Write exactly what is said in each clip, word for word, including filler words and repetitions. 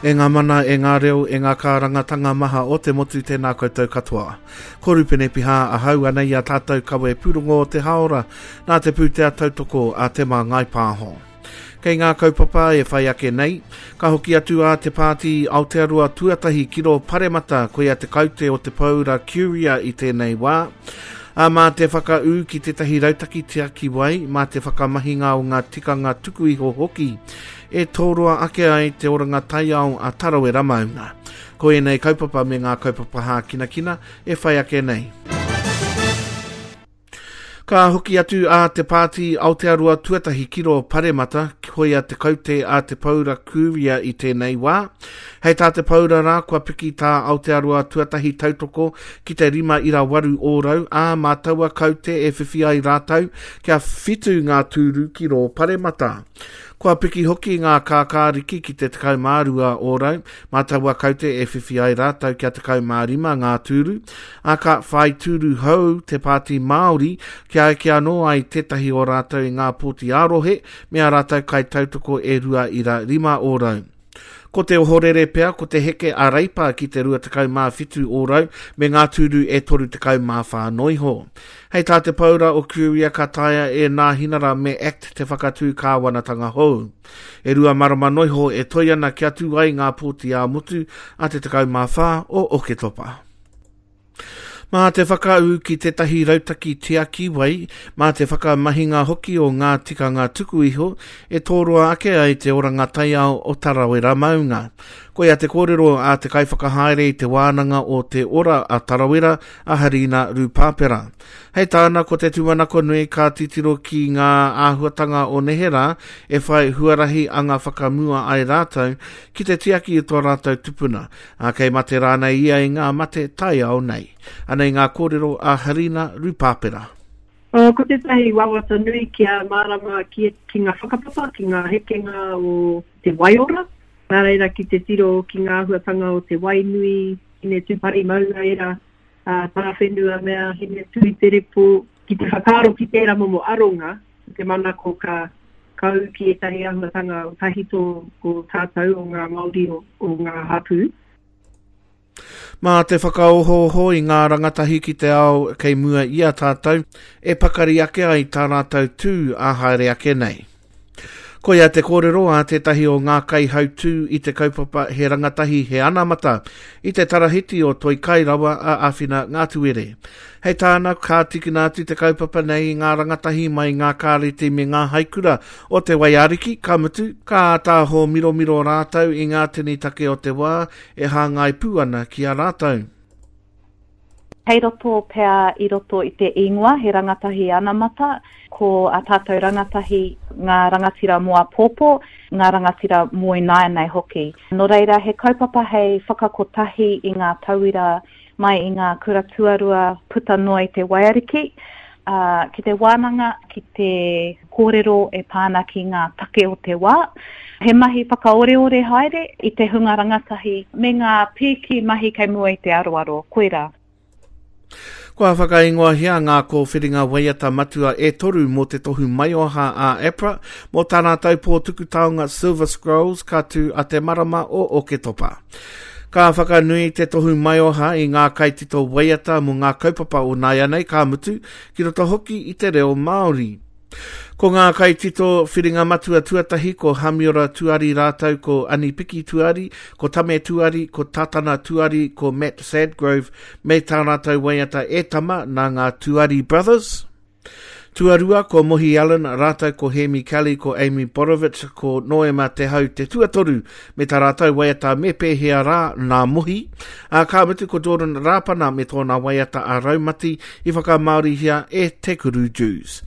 E ngā mana, e ngā reo, e ngā kārangatanga maha o te motu tēnā koutou katoa. Ko Rupene Piha ahau ana i a tātou kawe pūrongo o te haora nā te pūtea tautoko a Te Māngai Pāho. Kei ngā kaupapa e whai ake nei, ka hoki atu a Te Pāti Aotearoa Tuatahi ki rō Paremata koia te kaute o te Paura Curia i tēnei wā. A mā te whakaū ki tētahi rautaki tiaki wai, mā te whakamahinga o ngā tikanga tuku iho hoki, e tōroa ake ai te oranga taiao a Tarawera Maunga. Ko ēnei kaupapa me ngā kaupapa hākinakina e whai ake nei. Ka hoki atu a Te Pāti Aotearoa Tuatahi ki rō Paremata, koia te kaute a Te Paura Kūria i tēnei wā. Hei tā Te Paura rā, kua piki tā Aotearoa Tuatahi tautoko ki te rima ira waru ōrau, ā mā taua kaute e whiwhi ai rātou kia whitu ngā tūru ki rō Paremata. Kua piki hoki ngā kākāriki ki te tekau mā rua ōrau, mā taua kaute e whiwhi ai rātou kia tekau mā rima ngā tūru, ā ka whai tūru hou te Pāti Māori kia eke anō ai tētahi o rātou i ngā pōti ā-rohe me ā rātou kaitautoko e rua ira rima ōrau. Ko te ohorere pea, ko te heke a Reipa ki te rua tekau mā whitu ōrau me ngā tūru e toru tekau mā whā noiho. Hei tā te Paura o Curia ka taea e Nāhinara me Act te whakatū kāwanatanga hou. E rua marama noiho e toi ana kia tū ai ngā pōti ā-motu a te tekau mā whā o Oketopa. Mā te whakaū ki tētahi rautaki tiaki wai, mā te whakamahinga hoki o ngā tikanga tuku iho e tōroa ake ai te oranga taiao o Tarawera Maunga. Koia te kōrero a te kaiwhakahaere i te wānanga o Te Ora a Tarawera a Harina Rupapera. Hei tāna ko te tūmanako nui ka titiro ki ngā āhuatanga o neherā e whai huarahi anga whakamua ai rātou ki te tiaki i tō rātou tupuna, ā kei mate rānei ia i ngā mate taiao nei. Anei ngā kōrero a Harina Rupapera. Uh, ko tētahi wawata nui kia mārama ki, ki ngā whakapapa, ki ngā hekenga o te waiora. Nā reira ki te tiro ki ngā āhuatanga o te wainui, hine tūpari maunga era, uh, tarawhenua mea, hine tui te repo, ki te whakaaro ki tērā momo aronga, te manako ka kau ki ētahi āhuatanga o tahito o tātou, o ngā Māori, o, o ngā hapū. Mā te whakaohooho i ngā rangatahi ki te ao kei mua i a tātou, e pakari ake ai tā rātou tū a haere ake nei. Koia te kōrero a tētahi o ngā kaihautū i te kaupapa He Rangatahi He Anamata i te tarahiti o Toi Kairawa a Awhina Ngātuere. Hei tāna, ka tikina atu te kaupapa nei i ngā rangatahi mai ngā kāreti me ngā haikura o te Waiariki, ka mutu, ka ātaho miromiro rātou i ngā tini take o te wā e hāngai pū ana ki a rātou. Hei roto pea i roto i te ingoa, he rangatahi anamata, ko a tātou rangatahi ngā rangatira mō āpōpō, ngā rangatira mō ināianei hoki. Nō reira, he kaupapa hei whakakotahi i ngā tauira mai i ngā kura tuarua puta noa i te Waiariki, uh, ki te wānanga, ki te kōrero e pāna ki ngā take o te wā. He mahi whakaoreore haere i te hunga rangatahi me ngā pīki mahi kei mua i te aroaro, koirā. Kua whakaingoahia ngā kōwhiringa waiata matua e toru mō te tohu maioha a APRA, mō tā rātou pōtuku taonga Silver Scrolls ka tū a te marama o Oketopa. Ka whakanui te tohu maioha i ngā kaitito waiata mō ngā kaupapa o nāianei ka mutu ki roto hoki i te reo Māori. Ko ngā kaitito whiringa matua tuatahi ko Hamiora Tuari rātou ko Anipiki Tuari, ko Tame Tuari, ko Tatana Tuari, ko Matt Sadgrove me tā rātou waiata e tama nā ngā Tuari Brothers. Tuarua ko Mohi Allen, rātou ko Hemi Kelly, ko Amy Borovich, ko Noema Te Hau te tuatoru, me tā rātou waiata me pēhea rā nā Mohi. Ā, ka mutu ko Jordan Rāpana me tōna waiata a Raumati i whakamāorihia e Te Kuru Jews.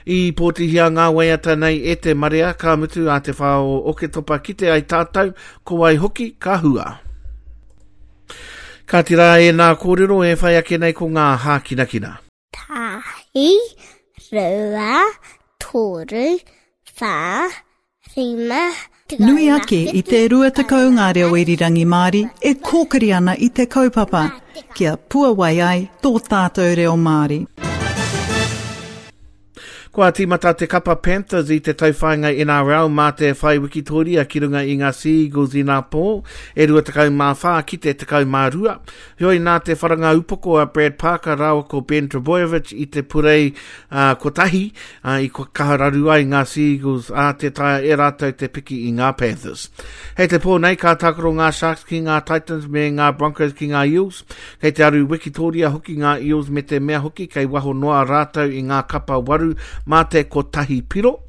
I pōtihia ngā waiata nei e te marea, ka mutu a te whā o Oketopa ki te ai tātou, ko wai hoki ka hua. Ka tira e nā kōrero e whai ake nei ko ngā hākinakina. Tahi, rua, toru, whā, rima, Nui ake i te rua tekau ngā reo irirangi Māori e kōkiri ana i te kaupapa, kia puawai ai tō tātou reo Māori. Kua tīmata te kapa Panthers i te tauwhāinga N R L mā te whai wikitoria ki runga i ngā Sea Eagles i nā pō, e rua tekau mā whā ki te tekau mā rua. Heoi nā te wharanga upoko a Brad Parker rāua ko Ben Trbojevic i te purei uh, kotahi uh, i kaha raru ai ngā Sea Eagles a tē taea e rātou te piki i ngā Panthers. Hei te pō nei ka tākaro ngā Sharks ki ngā Titans me ngā Broncos ki ngā Eels. Kei te aru wikitoria hoki ngā Eels me te mea hoki kei waho noa rātou i ngā kapa waru mā te kotahi piro.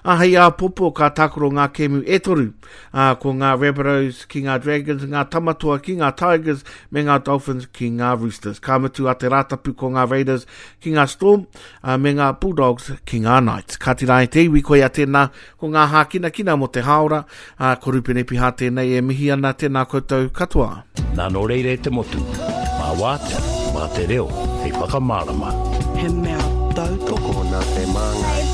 A hei āpōpō ka tākaro ngā kēmu e toru. A, ko ngā Rabbitohs ki ngā Dragons, ngā Tamatoa ki ngā Tigers, me ngā Dolphins ki ngā Roosters. Ka mutu a te Rātapu ko ngā Raiders ki ngā Storm, a, me ngā Bulldogs ki ngā Knights. Ka tira e te iwi koia tēnā ko ngā hākinakina mō te hāora, a, ko Rupene Piha tēnei e mihi ana, tēnā koutou katoa. Nā nō reira e te motu, mā wātea, mā te reo, hei whakamārama. He mea tautoko Tokona te māngai.